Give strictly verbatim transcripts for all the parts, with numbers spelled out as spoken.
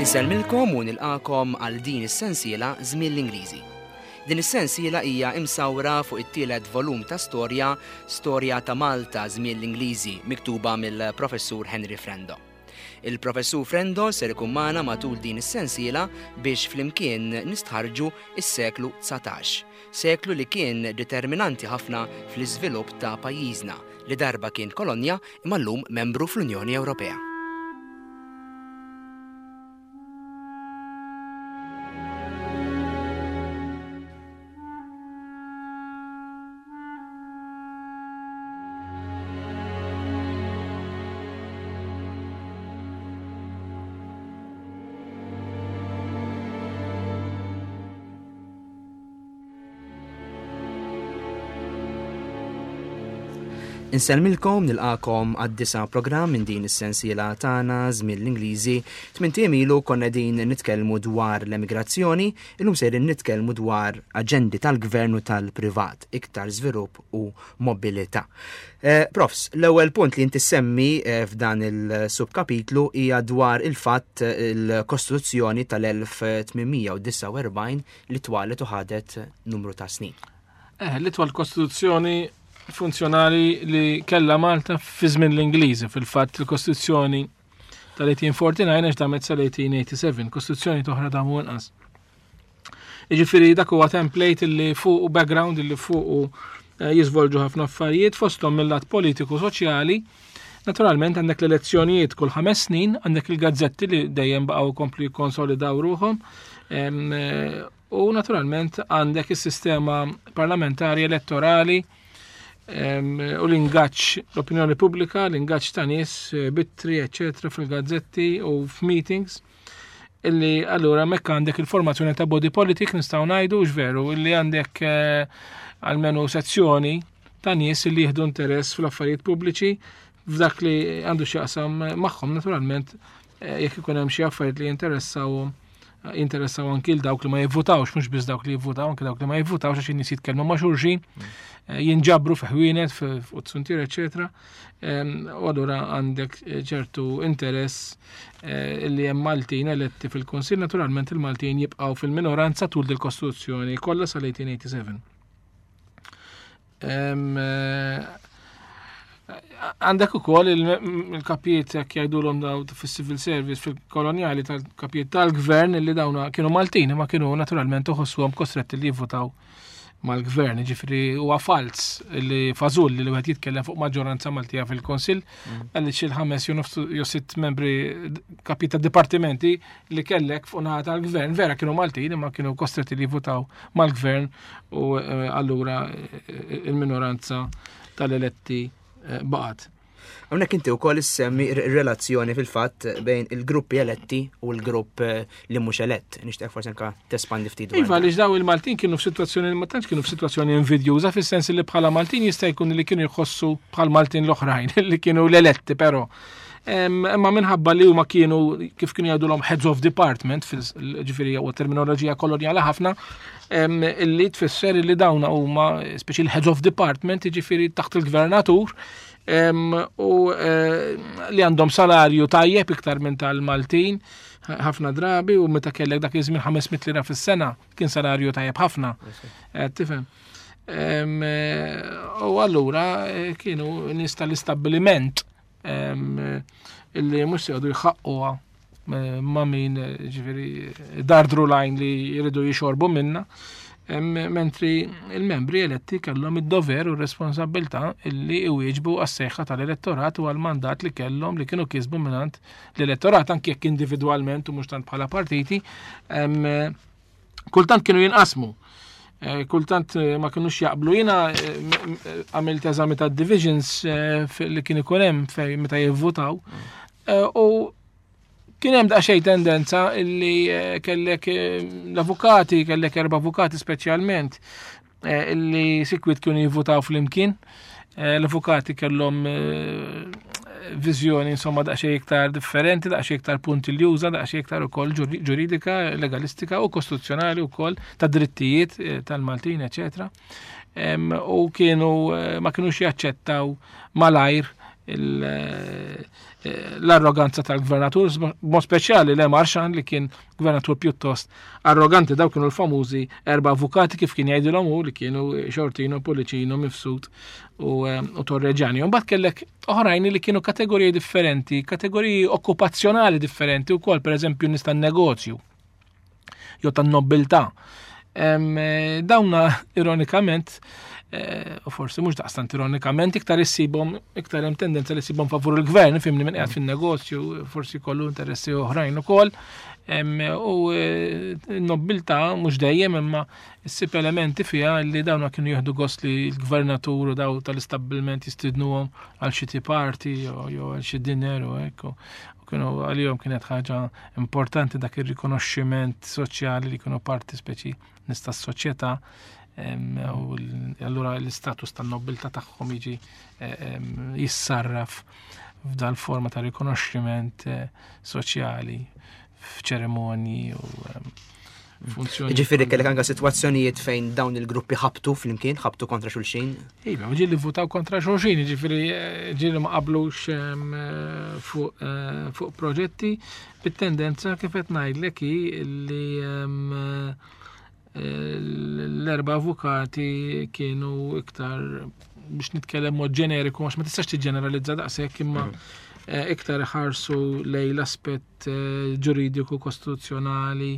Insellmilkom u nilqakom għal din is-sensiela Żmien l-Ingliżi. Din is-sensiela hija imsawra fuq it-tielet volum ta' storja, Storja ta' Malta Żmien l-Ingliżi, miktuba mill-Professur Henry Frendo. Il-Professur Frendo ser ikun magħna matul din is-sensiela biex flimkien nistħarġu is-seklu dsatax, seklu li kien determinanti ħafna fl-iżvilupp ta' pajjiżna li darba kien kolonja imma llum membru fl-Unjoni Ewropea. Insellmilkom, nilqakom għad-disa' programm minn din is-sensiela tagħna Żmien l-Ingliżi. Tmint ijiem ilu konna din nitkellmu dwar l-emigrazzjoni, illum sejrin nitkellmu dwar aġendi tal-gvern u tal-privat, iktar żvilupp u mobilità. Eh, profs, l-ewwel punt li inti semmi, eh, f'dan il-subkapitlu hija dwar il-fatt il-Kostituzzjoni tal-elf tmien mija u disgħa u erbgħin li twalet u ħadet numru ta' snin. Eh, l-itwal Kostituzzjoni funzjonali li kella Malta fi żmien l-Ingliżi. Fil-fatt il-Kostituzzjoni tal-eighteen forty-nine għax damet sal-eighteen eighty-seven, Kostituzzjoni toħra damu inqas. Jiġifieri dak huwa template li fuq u background li fuq u, eh, jiżvolġu ħafna affarijiet fosthom mill-lat politiku soċjali. Naturalment għandek l-elezzjonijiet kull ħames snin, għandek il-gazzetti li dejjem baqgħu jkomplu jikkonsolidaw ruħhom, em, eh, u naturalment għandek is-sistema parlamentari elettorali, em, u l-ingaġġ l-opinjoni pubblika, l-ingaġġ ta' nies, eh, bittri, eccetera, fil-gazzetti u f'meetings, illi allura mekk għandek il-formazzjoni ta' body politic, nistgħu ngħidu veru, illi għandek, eh, almenu sezzjoni ta' nies illi jieħdu interess fl-affarijiet pubbliċi f'dak li għandu x'jaqsam magħhom, naturalment, eh, jekk ikun hemm xi affarijiet li jinteressawhom, jinteressaw anki l dawk li ma jivvutawx, mhux biss dawk li jivvutaw, anki dawk li ma jivvutawx, għax in-nies jitkellmu ma' xulxin, eh, jinġabru fi ħwienet, fi-, fuq suntier, eccetera. Em, u allura għandek ċertu interess, eh, li hemm Maltin eletti fil-Kunsill, naturalment il-Maltin jibqgħu fil-minoranza tul dil-Kostituzzjoni kollha sal-eighteen eighty-seven. Em, eh, għandek ukoll il-, il-kapijiet jekk jgħidulhom daw fis-civil service fil-kolonjali tal-kapijiet tal-gvern li dawna kienu Maltin ma kienu naturalment uħossuhom kostretti li jivvutaw mal-gvern, ġifieri huwa falz li fażul li wieħed jitkellem fuq maġġoranza Maltija fil-Kunsill, Mm. għaliex il-ħames jew nofs jew sitt membri kapijiet ta' dipartimenti li kellek fuq naħa tal-gvern vera kienu Maltin imma kienu kostretti li jivvutaw mal-gvern u, eh, allura, eh, il-minoranza tal-eletti, eh, baqgħet. Hawnhekk inti wkoll issemmi r-, relazzjoni fil-fatt bejn il-gruppi eletti u l-grupp, eh, li mhux elett. Nixtieq forsi anke tespandi ftit dwar Iva, dan. għaliex daw il-Maltin kienu f'sitwazzjoni, ma tantx kienu f'sitwazzjoni invidjuża, fis-sens li bħala Maltin jista' jkun li kienu jħossu bħal Maltin l-oħrajn li kienu l-eletti però. Em, imma minħabba li huma kienu kif kienu jgħidulhom heads of department, fil-, ġifieri huwa terminoloġija kolonjali ħafna, em, illi tfisser li dawna huma speċi l-heads of department, ġifieri taħt il-gvernatur, em, u, eh, li għandhom salarju tajjeb iktar minn tal-Maltin ħafna drabi, u meta kellek dak iż-żmien ħames mitt lira fis-sena kien salarju tajjeb ħafna. Eh, tifhem. Em, eh, u allura, eh, kienu nies tal-istabbiliment, em, illi mhux se jgħodu jħaqquha, eh, ma' min, eh, ġifieri dardru lajn li jridu jixorbu minna. Em, mentri il-membri eletti kellhom id-dover u r-responsabilità illi iwieġbu għas-sejħa tal-elettorat u għall-mandat li kellhom li kienu kisbu mingħand l-elettorat, anke jekk individwalment u mhux tant bħala partiti, em, kultant kienu jinqasmu. Eh, kultant, eh, ma kinux jaqblu. Jiena, eh, m-, m-, għamilt eżami ta' divisions, eh, fi-, li kien ikun hemm fej meta jivvutaw. Eh, u kien hemm daqsxejn tendenza illi, eh, kellek, eh, l-avukati, kellek erba' avukati speċjalment, eh, illi sikwit kienu jivvutaw flimkien. Eh, l-avukati kellhom, eh, viżjoni insomma daqsxejn iktar differenti, daqsxejn iktar puntiljuża, daqsxejn iktar ukoll ġuri-, ġuridika, legalistika u kostituzzjonali wkoll ta' drittijiet, eh, tal-Maltin, eċetera. Em, u kienu, eh, ma kinux jaċċettaw malajr l-arroganza tal-gvernatur, mod speċjali Le Marchand li kien gvernatur pjuttost arroganti. Daw kienu l-famużi erba' avukati kif kien jgħidilhom hu, li kienu Sciortino, Pullicino, Mifsud u, u Torregiani. Mbagħad kellek oħrajn li kienu kategoriji differenti, kategoriji okkupazzjonali differenti wkoll, pereżempju nies tan-negozju jew tan-nobiltà. Dawna ironikament, u forsi mhux daqstant ironikament, iktar issibhom, iktar hemm tendenza li ssibhom favur il-gvern, fimni, minn qiegħed fin-negozju, forsi kollu interessi oħrajn ukoll. U n-nobiltà mhux dejjem, imma ssib elementi fiha li dawna kienu jieħdu gost li l-gvernatur u daw tal-istabbilment jistidnuhom għal xi tea party jew għal xi dinner u hekk. U kienu għalihom kienet ħaġa importanti dak ir-rikonoxximent soċjali li kienu parti speċi nies tas-soċjetà, u allura l-istatus tan-nobiltà tagħhom jiġi jissarraf f'dal forma ta' rikonoxximent soċjali f'ċerimonji u funzjoni. Ġifieri kellek anke sitwazzjonijiet fejn dawn il-gruppi ħabtu flimkien, ħabtu kontra xulxin? Iva, ġieli votaw kontra xulxin, ġifieri ġieli ma qablux fuq fuq proġetti, bit-tendenza kif qed ngħidlek hi li l-erba' avukati kienu iktar, biex nitkellem mod ġeneriku, għax ma tistax tiġġeneralizza daqshekk, imma iktar ħarsu lej l-aspett ġuridiku kostituzzjonali.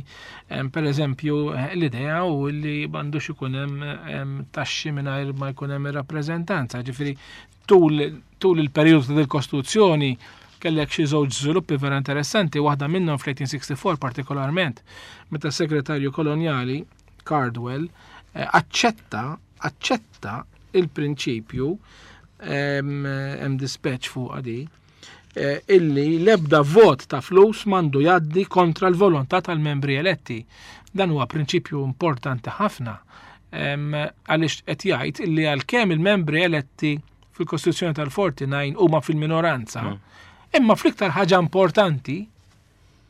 Per eżempju, l-idea u li m'għandux ikun hemm taxxi mingħajr ma jkun hemm ir-rappreżentanza. Ġifieri tul, tul il-perjodu tal-Kostituzzjoni kellek xi żewġ żviluppi vera interessanti, waħda minnhom fl-eighteen sixty-four partikolarment, meta s-segretarju kolonjali Cardwell aċċetta, aċċetta il-prinċipju, hemm dispatch fuq għadi, illi l-ebda vot ta' flus m'għandu jgħaddi kontra l-volontà tal-membri eletti. Dan huwa prinċipju importanti ħafna, għaliex qed jgħid illi għalkemm il-membri eletti fil-Kostituzzjoni tal-forty-nine huma fil-minoranza, imma fl-iktar ħaġa importanti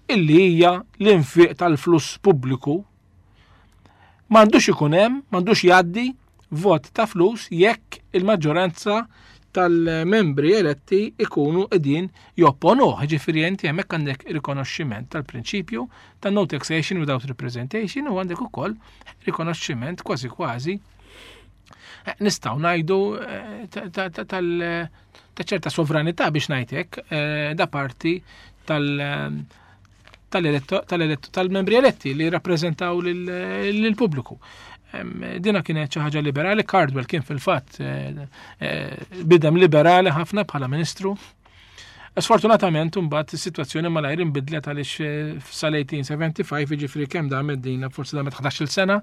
illi hija l-infiq tal-flus pubbliku, m'għandux ikun hemm, m'għandux jgħaddi vot ta' flus jekk il-maġġoranza tal-membri eletti ikunu qegħdin jopponuh. Ġifieri inti hemmhekk għandek rikonoxximent tal-prinċipju ta' no taxation without representation u għandek ukoll rikonoxximent kważi kważi nistgħu ngħidu ta' ċerta sovranità, biex ngħidlek, da parti tal- tal-membri eletti li rappreżentaw lill-pubbliku. Dina kienet xi ħaġa liberali. Cardwell kien fil-fatt bniedem liberali ħafna bħala ministru. Sfortunatament imbagħad is-sitwazzjoni malajr inbidlet, għaliex sal-eighteen seventy-five, jiġifieri kemm damet dina, forsi damet ħdax-il sena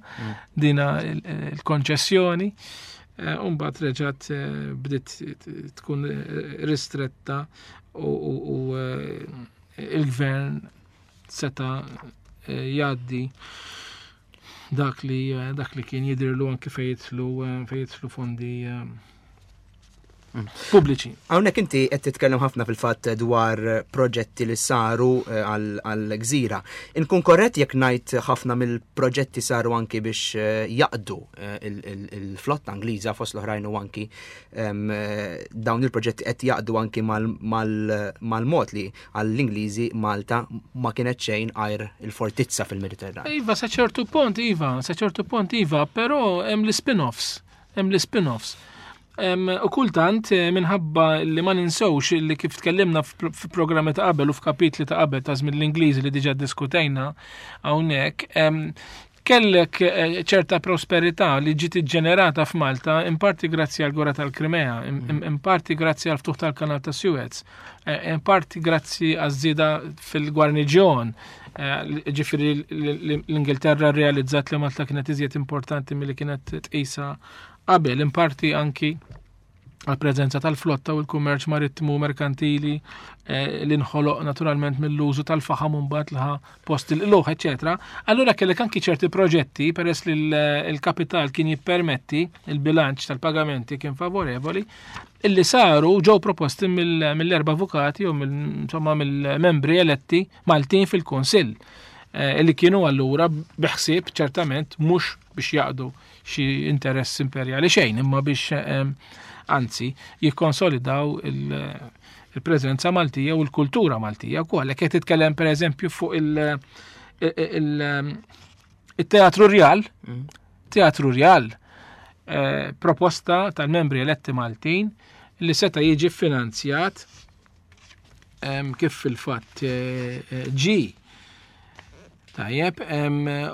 dina il-konċessjoni. Imbagħad reġgħet bdiet tkun ristretta u il-gvern seta' jgħaddi dak li dak li kien jidhirlu anke fejn jidħlu fejn jidħlu fondi pubbliċi. Hawnhekk inti qed titkellem ħafna fil-fatt dwar proġetti li saru għall-gżira. Inkun korrett jekk ngħid ħafna mill-proġetti saru anki biex jaqdu il-flotta Ingliża fost l-oħrajn, u anki dawn il-proġetti qed jaqdu anki mal-mod li għall-Ingliżi Malta ma kienet xejn għajr il-fortizza fil-Mediterran? Iva, sa ċertu punt, iva, sa ċertu punt, iva, però hemm l-spin-offs, hemm l-spin-offs. U kultant, minħabba li ma ninsewx li kif tkellimna f'programmi ta' qabel u f'kapitli ta' qabel ta' żmien l-Ingliżi li diġà diskutejna hawnhekk, kellek ċerta prosperità li ġiet iġġenerata f'Malta in parti grazzi għal gwerra tal-Krimea, in parti grazzi għal ftuħ tal-Kanal ta' Suez, in parti grazzi għaż-żieda fil-gwarniġjon. Ġifieri l-Ingilterra realizzat li Malta kienet iżjed importanti milli kienet tqisha qabel, in parti anki għal-preżenza tal-flotta u l-kummerċ marittimu merkantili li nħoloq naturalment mill-użu tal-faħam mbagħad li ħa post il-qlugħ, eċetera. Allura kellek anki ċerti proġetti, peress li l-kapital kien jippermetti, il-bilanċ tal-pagamenti kien favorevoli, illi saru ġew proposti mill-erba' avukati u insomma mill-membri eletti Maltin fil-Kunsill, illi kienu allura biħsieb ċertament mhux biex jaqdu xi interess imperjali xejn, imma biex anzi jikkonsolidaw il-preżenza Maltija u l-kultura Maltija wkoll. Jekk qed titkellem pereżempju fuq il-Teatru Rjal, Teatru Rjal, proposta tal-membri eletti Maltin li seta' jiġi finanzjat kif fil-fatt ġi. Tajjeb,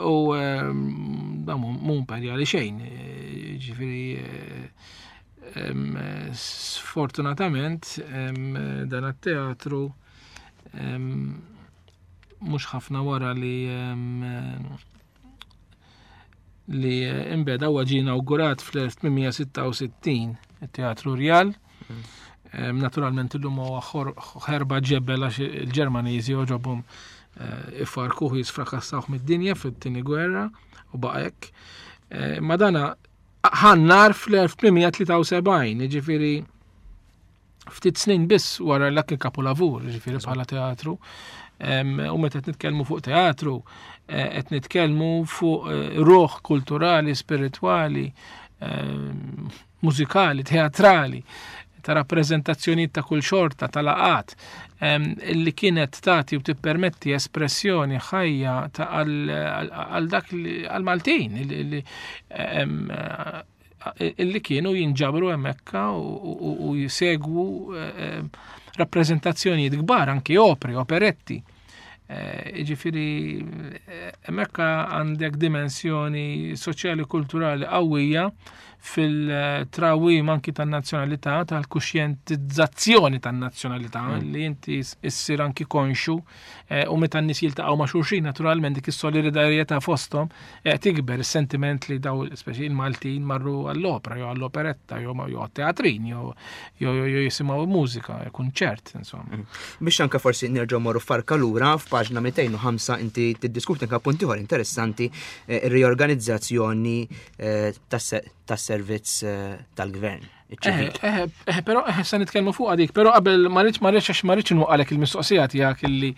u dan mhu imperjali xejn, ġifieri sfortunatament dan it-teatru mhux ħafna wara li li imbeda huwa ġie inawgurat fl-elf tmien mija sitta u sittin it-Teatru Rjal. Naturalment illum huwa ħerba ġebel għax il-Ġermaniżi oġobhom ifarkuh jisfrakassawh mid-dinja fit-tieni gwerra u baqa' hekk. Ma dana ħannar fl-elf tmien mija tlieta u sebgħin, jiġifieri ftit snin biss wara l-akki kapolavur, jiġifieri bħala teatru. U meta qed nitkellmu fuq teatru, qed nitkellmu fuq ruħ kulturali, spiritwali, mużikali, teatrali, ta' rappreżentazzjonijiet ta' kull xorta, ta' laqat, illi kienet tagħti u tippermetti espressjoni ħajja ta' għal dak li, għal Maltin, illi, illi kienu jinġabru hemmhekk u, u, u jisegwu rappreżentazzjonijiet kbar, anki opri, operetti. Jiġifieri, hemmhekk għandek dimensjoni soċjali kulturali qawwija fil-trawim anki tan-nazzjonalità, tal-kuxjentizzazzjoni tan-nazzjonalità, Mm. li inti issir anki konxu, eh, u meta n-nies jiltaqgħu ma' xulxin, naturalment dik is-solidarjetà fosthom, eh, tikber is-sentiment li daw speċi il-Maltin marru għall-opera jew għall-operetta jew ma-, jew għat-teatrin jew, jew, jew jisimgħu mużika, kunċert, insomma. Mm. Biex anke forsi nerġgħu morru farka lura f'paġna mitejn u ħamsa inti tiddiskuti anke punt ieħor interessanti, eh, ir-riorganizzazzjoni, eh, tas-se-, tas-servizz, eh, tal-gvern. Eh, eh, eh, però, eh, se nitkellmu fuq għadik, però qabel ma rridx, ma rridx, għax ma rridx inwaqqalek il-mistoqsija tiegħek illi,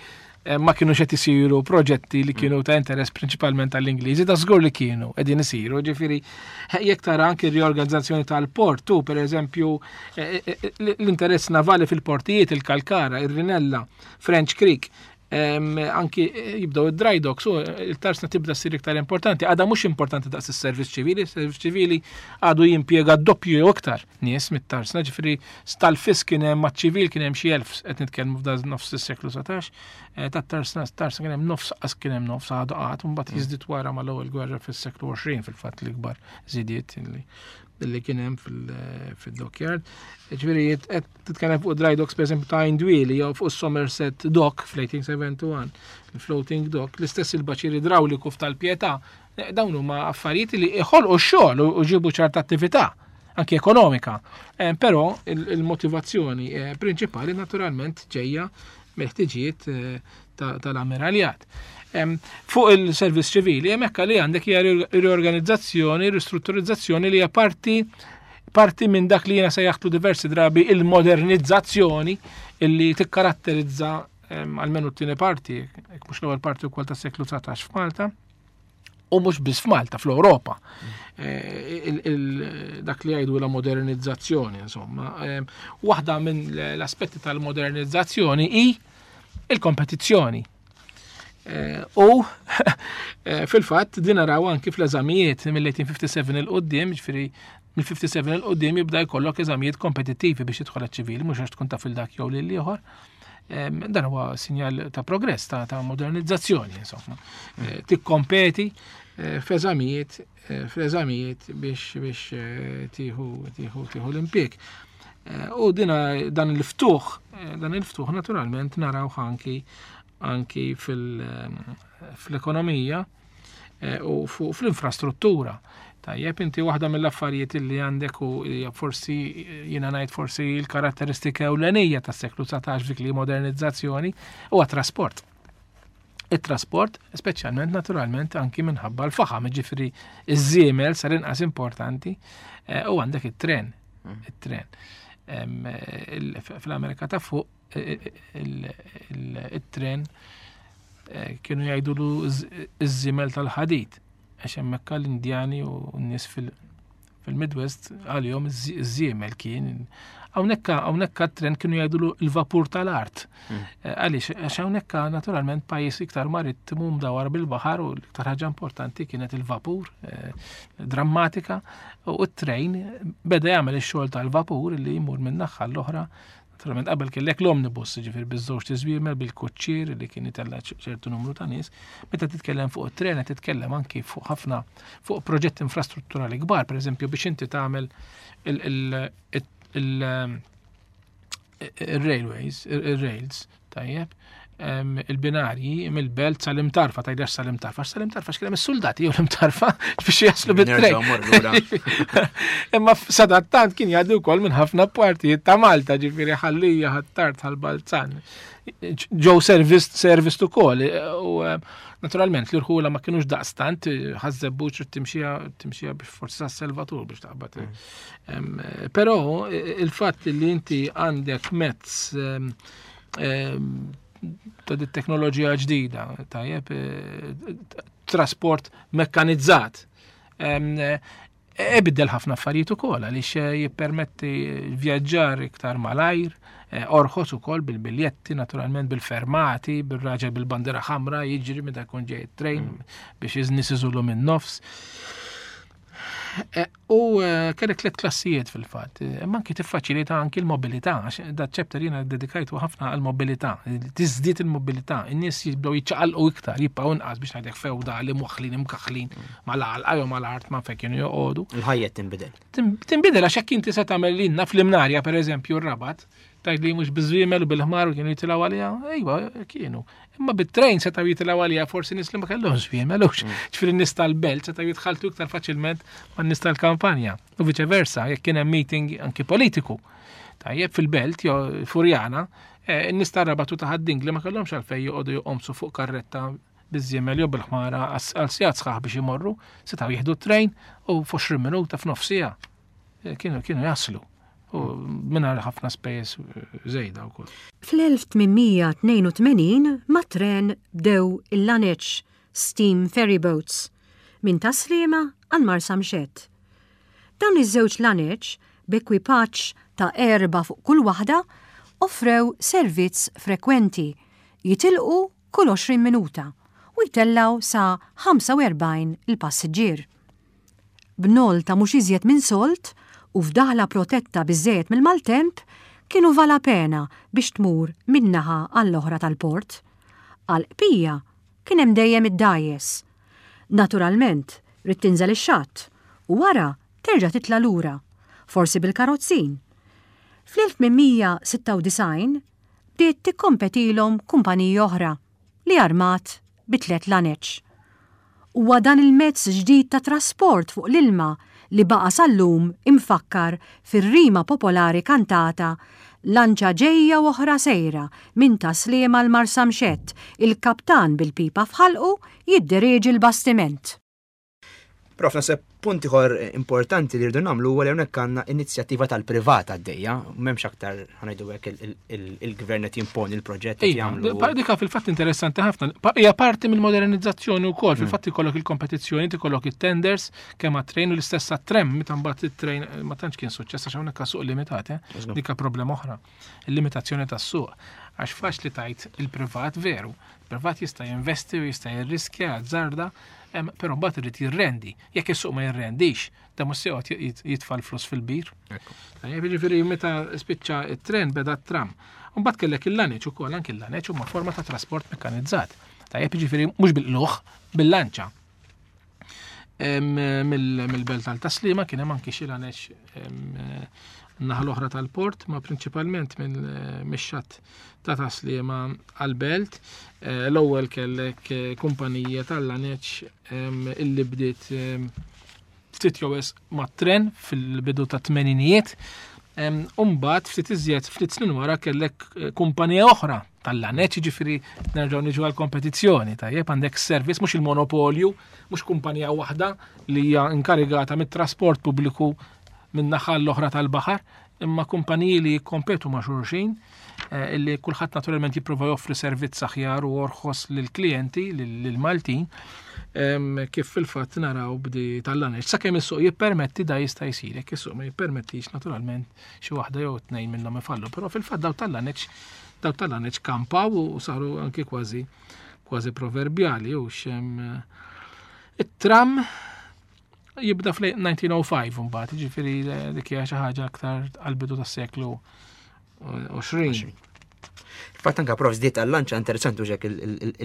eh, ma kienu qed isiru proġetti li kienu ta' interess prinċipalment tal-Ingliżi, da żgur li kienu qegħdin isiru, ġifieri, eh, jekk tara anki r-riorganizzazzjoni tal-port, tu pereżempju, eh, eh, eh, l-interess navali fil-portijiet, il-Kalkara, ir-Rinella, French Creek, em, anki, eh, jibdew id-dry docks, u il-tarsna tibda ssir iktar importanti. Għadha mhux importanti daqs is-servizz ċivili, is-servizz ċivili għadu jimpjega doppju jew iktar nies mit-tarsna, ġifieri tal-fis kien hemm maċ-ċivil kien hemm xi elf, qed nitkellmu f'da nofs is-seklu satax, eh, tat-tarsna, tarsna kien hemm nofs, qas kien hemm nofs għadu qatt, u mbagħad Mm. jiżdied wara mal-ewwel gwerra fis-seklu għoxrin fil-fatt l-ikbar żidiet illi, illi kien hemm fil-, fil-dockyard. Ġifieri qed titkellem fuq dry docks pereżempju ta' Indwili jew fuq Somerset Dock fl-eighteen seventy-one, il-floating dock, l-istess il-baċir idrawliku f'Tal-Pietà, eh, dawn huma affarijiet li iħolqu x-xogħol u, u ġibu ċerta attività anki ekonomika. Eh, però il-, il-motivazzjoni, eh, prinċipali naturalment ġejja mill-ħtiġijiet, eh, ta-, tal-ammiraljat. Em, fuq il-servizz ċivili, hemmhekk li għandek hija ri-, riorganizzazzjoni, ristrutturizzazzjoni li hija parti, parti minn dak li jiena sejjaħtu diversi drabi il-modernizzazzjoni illi tikkaratterizza, em, almenu t-tieni parti, jekk mhux l-ewwel parti wkoll tas-seklu dsatax f'Malta, u mhux biss f'Malta, fl-Ewropa. Eh, il-, il-, dak li jgħidu la modernizzazzjoni, insomma. Em, waħda minn l-aspetti tal-modernizzazzjoni hi il-kompetizzjoni. Eh, u, eh, fil-fatt din naraw anki fl-eżamijiet mill-eighteen fifty-seven il-qoddim, ġifieri mill-fifty-seven il-qoddim jibda jkollok eżamijiet kompetittivi biex tidħol għaċ-ċivili, mhux għax tkun taf il dak jew lil ieħor. Em, dan huwa sinjal ta' progress, ta', ta' modernizzazzjoni, insomma. Mm. Eh, tikkompeti, eh, f'eżamijiet, eh, f'eżamijiet biex, biex, eh, tieħu, tieħu, tieħu l-impjieg. Eh, u dina, dan il-ftuħ, eh, dan il-ftuħ naturalment naraw anki, anki fil-, fl-ekonomija, eh, u fu-, fl-infrastruttura. Tajjeb, inti waħda mill-affarijiet li għandek u hija forsi, jiena ngħid forsi l-karatteristika ewlenija tas-seklu dsatax dik li modernizzazzjoni huwa trasport. it-trasport, speċjalment naturalment anki minħabba l-faħam, ġifieri iż-żiemel sar inqas importanti, eh, u għandek it-tren, Mm. it-tren. Em, il-, f-, fl-Amerika ta' fuq, eh, eh, il-, il-, it-tren, eh, kienu jgħidulu iż-, iż-żiemel tal-ħadid, għax hemmhekk l-Indjani u n-nies fil-, Fil-Midwest għalihom iż-żiemel kien. Hawnhekk hawnhekk tren kienu jgħidulu l-vapur tal-art. Mm. Eh, għaliex għax hawnhekk naturalment pajjiż iktar marittimu mdawar bil-baħar u l-iktar ħaġa importanti kienet il-vapur, eh, drammatika, u t-trejn beda jagħmel ix-xogħol tal-vapur li jmur minn naħa l-oħra. Naturalment qabel kellek l-omnibus, ġifier biż-żewġ tiżwiemel bil-kuċċier li kien itella' ċertu numru ta' nies. Meta titkellem fuq it-tren qed titkellem anki fuq ħafna fuq proġetti infrastrutturali kbar, pereżempju biex inti tagħmel il-railways, il-rails, tajjeb, il-binarji mill-belt sal-Imtarfa, tgħidx sal-Imtarfa, sal-Imtarfa x'kien hemm is-soldati jew l-Imtarfa biex jaslu bit-trejn. Imma sadattant kien jgħaddi wkoll minn ħafna partijiet ta' Malta, ġifieri Ħal Lija, Ħ'Attard, Ħal Balzan. Ġew service service ukoll u naturalment l-irħula ma kienux daqstant Ħaż-Żebbuġ timxija timxija biex forsi sa-Selvatur biex taqbad. Mm. Però il-fatt li inti għandek mezz ta' dit teknoloġija ġdida, tajjeb, eh, trasport mekkanizzat. Ibiddel ħafna affarijiet ukoll għaliex eh, jippermetti vjaġġar iktar malajr, eh, orħos ukoll bil-biljetti, naturalment bil-fermati, bil-raġel bil-bandera ħamra jiġri meta jkun ġej trejn mm. biex in-nies iżulu minn nofs. Eh, u eh, kellek tliet klassijiet fil-fatt, eh, imma anki tiffaċilita anki l-mobilità, għax da chapter jiena dedikajtu ħafna għal-mobilità, tiżdied il-mobilità, in-nies jibdew jiċċaqalqu iktar, jibqgħu inqas biex ngħidlek fewdali mwaħħlin imkaħħlin mal-għalqa jew mal-art ma fejn kienu joqogħdu. Il-ħajja tinbidel. Tinbidel għax hekk inti se tagħmel lilna fl-Imnarja pereżempju r-Rabat, tgħid li mhux biż-żwiemel u bil-ħmar u kienu jitilgħu għaliha, ejwa kienu. Imma bit-trejn setgħu jitilgħu għaliha forsi nies li ma kellhomx żwiemel, hux. Mm. Ġifieri n-nies tal-belt setgħu jitħaltu iktar faċilment man-nies tal-kampanja. U viċe versa, jekk kien hemm meeting anki politiku. Tajjeb fil-belt jew Furjana, eh, n-nies tar-Rabat u ta' Ħad-Dingli ma kellhomx għalfejn joqogħdu joqomsu fuq karretta biż-żiemel jew bil-ħmara għal sigħat sħaħ biex imorru, setgħu jieħdu t-trejn u f'għoxrin minuta f'nofs siegħa. Eh, kienu kienu jaslu u mingħajr ħafna spejjeż żejda wkoll. Fl-elf tmien mija tnejn u tmenin mat-tren bdew il-laneċ steam ferry boats minn Tas-Sliema għal Marsamxett. Dawn iż-żewġ laneċ b'ekwipaġġ ta' erba' fuq kull waħda offrew servizz frekwenti jitilqu kull għoxrin minuta u jtellaw sa ħamsa u erbgħin il-passiġġier. B'nol ta' mhux iżjed minn sold u f'daħla protetta biżżejjed mill-maltemp kienu vala pena biex tmur min-naħa għall-oħra tal-port. Għal-qpija kien hemm dejjem id-dgħajjes. Naturalment, ridt tinżel ix-xatt u wara terġa' titla' lura, forsi bil-karozzin. Fl-elf tmien mija sitta u disgħin bdiet tikkompetilhom kumpanija oħra li armat bi tliet laneċ. Huwa dan il-mezz ġdid ta' trasport fuq l-ilma li baqa' sal-lum imfakkar fir-rima popolari kantata "Lanċa ġejja u oħra sejra minn Tas-Sliema għal Marsamxett, il-kaptan bil-pipa f'ħalqu jidderieġi l-bastiment." Prof, naħseb punt ieħor importanti li rridu nagħmlu huwa li hawnhekk għandna inizjattiva tal-privat għaddejja, m'hemmx aktar ħa ngħidu hekk il-gvern qed jimponi l-proġett qed Iva, jagħmlu. pa- Dika fil-fatt interessanti ħafna. Pa- Hija parti mill-modernizzazzjoni wkoll, fil-fatt ikollok il-kompetizzjoni, ikollok it-tenders kemm għat-trejn u l-istess għat-tram, meta mbagħad it-trejn ma tantx kien suċċess għax hawnhekk suq limitat, eh? Dika problema oħra. Il-limitazzjoni tas-suq. Għax faċli tajt il-privat veru. Il-privat jista' jinvesti u jista' jirriskja azzarda, em, però mbagħad irid jirrendi. Jekk is-suq ma jirrendix, da mhux se joqgħod jit- jitfa' l-flus fil-bir. Ekku. Tajjeb, jiġifieri meta spiċċa it-tren beda t-tram. Mbagħad kellek il-laneċ ukoll, anki il-laneċ huma forma ta' trasport mekkanizzat. Tajjeb, jiġifieri mhux bil-qluħ, bil-lanċa. Em, mill- Mill-belt tal-Tas-Sliema kien hemm anki xi laneċ em, naħa l-oħra tal-port, ma prinċipalment minn mix-xatt ta' Tas-Sliema għal-belt. Eh, L-ewwel kellek eh, kumpanija tal-laneċ em, illi bdiet em, ftit jew wisq mat-tren fil-bidu ta' tmeninijiet. Umbat, ftit iżjed, ftit snin wara kellek eh, kumpanija oħra tal-laneċ, ġifieri nerġgħu niġu għal-kompetizzjoni, tajjeb, għandek service, mhux il-monopolju, mhux kumpanija waħda li hija inkarigata mit-trasport pubbliku minn naħa l-oħra tal-baħar, imma kumpaniji li jikkompetu ma' xulxin, eh, illi kulħadd naturalment jipprova joffri servizz aħjar u orħos lill-klijenti, lill-Maltin. Kif fil-fatt naraw bdi tal-laneċ. Sakemm is-suq jippermetti da jista' jsir, jekk is-suq ma jippermettix naturalment xi waħda jew tnejn minnhom ifallu, però fil-fatt daw tal-laneċ daw tal-laneċ kampaw u saru anki kważi kważi proverbjali u xem it-tram jibda fl-elf disa' mija u ħamsa mbagħad, jiġifieri dik hija xi ħaġa aktar għall-bidu tas-seklu għoxrin. Fatt anka prof żdiet għal-lanċa, interessanti uġek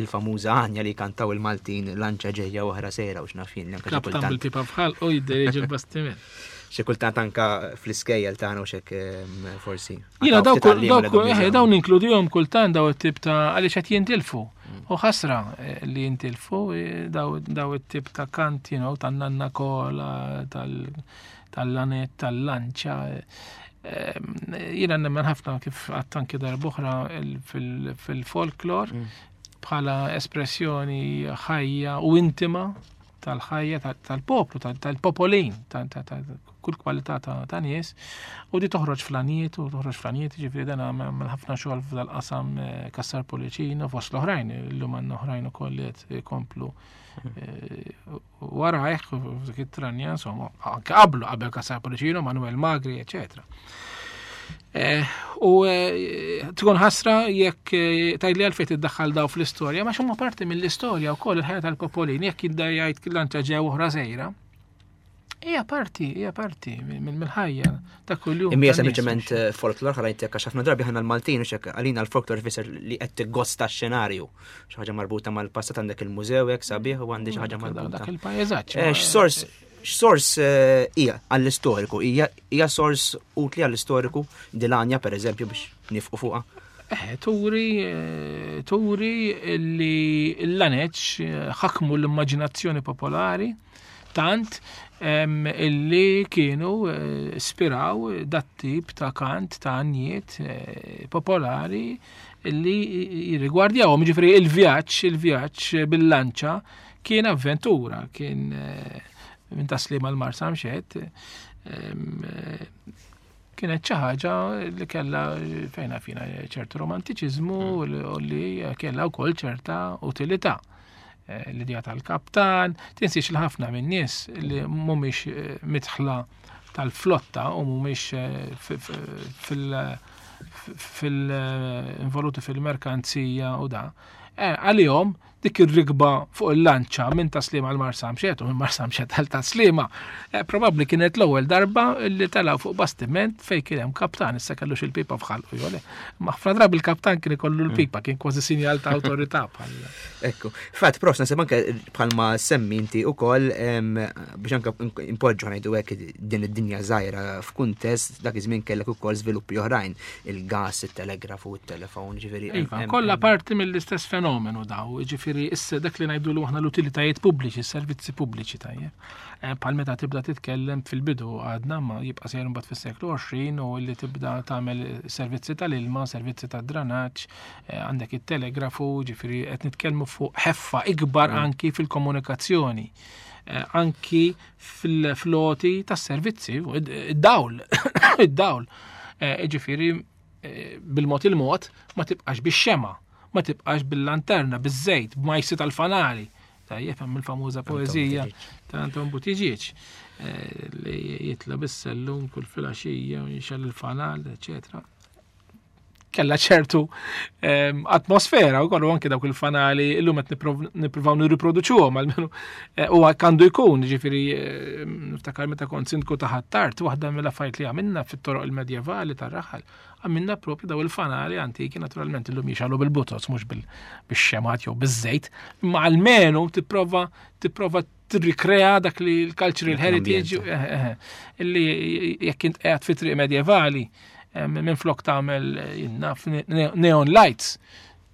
il-famuża għanja li kantaw il-Maltin, "lanċa ġejja oħra sejra" u x'naf jien. Kaptan bil-pipa f'ħalqu u jidderieġi l-bastiment. Xi kultant anka fl-iskejjel tagħna u xek forsi. Jiena dawk eh, dawn inkludihom kultant, daw it-tip ta' għaliex qed jintilfu. Mm. U ħasra eh, li jintilfu eh, daw it-tip ta' kant, you know, tan-nanna kola, tal-lanet, tal-lanċa. Jiena nemmen ħafna, kif għedt anki darb'oħra, fil-folklor mm. bħala espressjoni ħajja u intima tal-ħajja tal-poplu, tal-popolin, ta' kull kwalità ta' nies, u di toħroġ fl-għanjiet u toħroġ fl-għanjiet, ġifieri dan għamel ħafna xogħol f'dal-qasam eh, Cassar Pullicino, fost l-oħrajn, illum għandna oħrajn ukoll li qed ikomplu eh, warajh f'dik it-tranja, insomma, anke qablu, qabel Cassar Pullicino, Manuel Magri, eccetera. Eh, u eh, tkun ħasra jekk eh, tgħidli għalfejn tiddaħħal daw fl-istorja, ma huma parti mill-istorja wkoll, il-ħajja tal-popolin, jekk jibda jgħid lanċa ġew oħra sejra. Hija parti, hija parti mill-ħajja ta' kuljum. Imma hija sempliċement folklor, ħa ngħidlek, għax ħafna drabi ħana l-Maltin u xek għalina l-folklor fisser li qed tiggosta x-xenarju. Xi ħaġa marbuta mal-passat, għandek il-mużew hekk sabiħ u għandi xi ħaġa marbuta. Dak il-pajjeżaġġ. X'sors x'sors eh, hija għall-istoriku? Hija hija sors utli għall-istoriku dil-għanja, per eżempju, biex nifqu fuqha? Eh, turi, eh, turi li l-laneċ ħakmu l-immaġinazzjoni popolari tant illi kienu ispiraw dat tip ta' kant ta' għanjiet popolari illi jirrigwardjawhom. Ġifieri il-vjaġġ, il-vjaġġ bil-lanċa kien avventura, kien minn Taslima għal Marsamxett, kienet xi ħaġa li kellha fejna fina ċertu romantiċiżmu mm. u li kellha wkoll ċerta utilità. Eh, l-idea tal-kaptan, tinsiex li ħafna minn nies li mhumiex eh, midħla tal-flotta u mhumiex eh, fil- fil-involuti fil-merkanzija u da. Għalihom dik ir-rikba fuq il-lanċa minn Taslima għal Marsamxett u minn Marsamxett għal Taslima, eh, probabbli kienet l-ewwel darba li telgħu fuq bastiment fej kien hemm kaptan, issa kellux il-pipa f'ħalqu jew le. Ma ħafna drabi il-kaptan kien ikollu l-pipa, kien kważi sinjal ta' awtorità bħal. Ekku. Fatt, prof, nasib anke bħalma semmi inti ukoll biex anke impoġġu, ngħidu hekk, din id-dinja żgħira f'kuntest, dak iż-żmien kellek ukoll żviluppi oħrajn, il-gas, it-telegrafu, it-telefon, ġifieri. Iva, kollha parti mill-istess fenomenu daw, ġifieri issa dak li ngħidu aħna l-utilitajiet pubbliċi, s-servizzi pubbliċi, tajjeb. Eh, bħal meta tibda titkellem fil-bidu għadna, ma jibqa' sejjer mbagħad fis-seklu għoxrin, u li tibda tagħmel servizzi tal-ilma, servizzi tad-dranaġġ, eh, għandek it-telegrafu, ġifieri qed nitkellmu fuq ħeffa ikbar mm. anki fil-komunikazzjoni eh, anki fil-floti tas-servizzi, id-dawl, id-dawl. Ġifieri bil-mod il-mod ma tibqax bix-xema, ma tibqax bil-lanterna, biż-żejt, b'majsi tal-fanali. Tajjeb, hemm il-famuża poeżija ta' Anton Buttigieg eh, li jitla bis-sellum kull filgħaxija u jixgħel il-fanal, eċetera. Kella ċertu ehm, atmosfera u kollu, anke dawk il-fanali illum qed nippruvaw nirriproduċuhom almenu eh, u għandu jkun, ġifieri eh, niftakar meta kont sindku ta' Ħ'Attard, waħda mill-affarijiet li għamilna fit-toroq il-medjevali tar-raħal, għamilna propju daw il-fanali antiki, naturalment illum jixgħelu bil-butots, mhux bil-xemgħat jew biż-żejt, imma almenu tipprova tipprova tirrikrea dak li l-cultural heritage eh, eh, illi jekk int qiegħed fi triq medjevali, minn flok tagħmel jinnaf neon lights,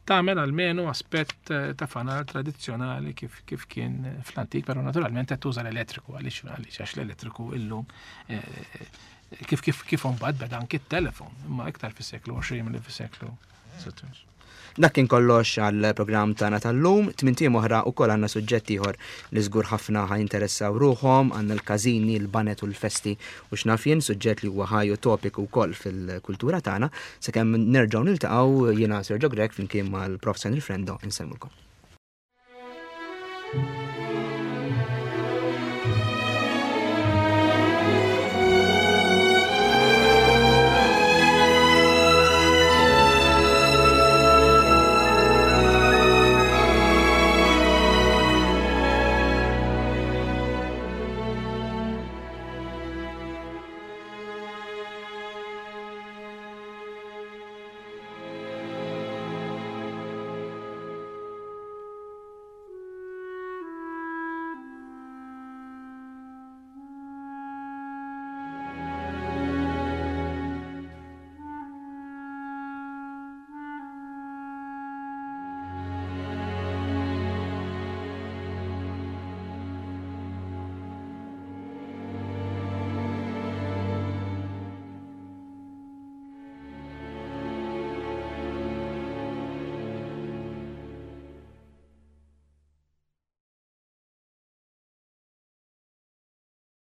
tagħmel almenu aspett eh, ta' fanal tradizzjonali kif, kif kien fl-antik, però naturalment qed tuża l-elettriku għaliex għaliex għax l-elettriku illum kif kif kif mbagħad beda anki t-telefon, imma iktar fis-seklu għoxrin milli fis-seklu sittax. Dak kien kollox għall-programm tagħna tal-lum. Tmint ijiem oħra ukoll għandna suġġett ieħor li żgur ħafna ħa jinteressaw ruħhom, għandna l-każini, l-banet u l-festi u x'naf jien, suġġett li huwa ħaj u topiku wkoll fil-kultura tagħna. Sakemm nerġgħu niltaqgħu, jiena Sergio Grech flimkien mal-Prof Henry Frendo insellmulkom.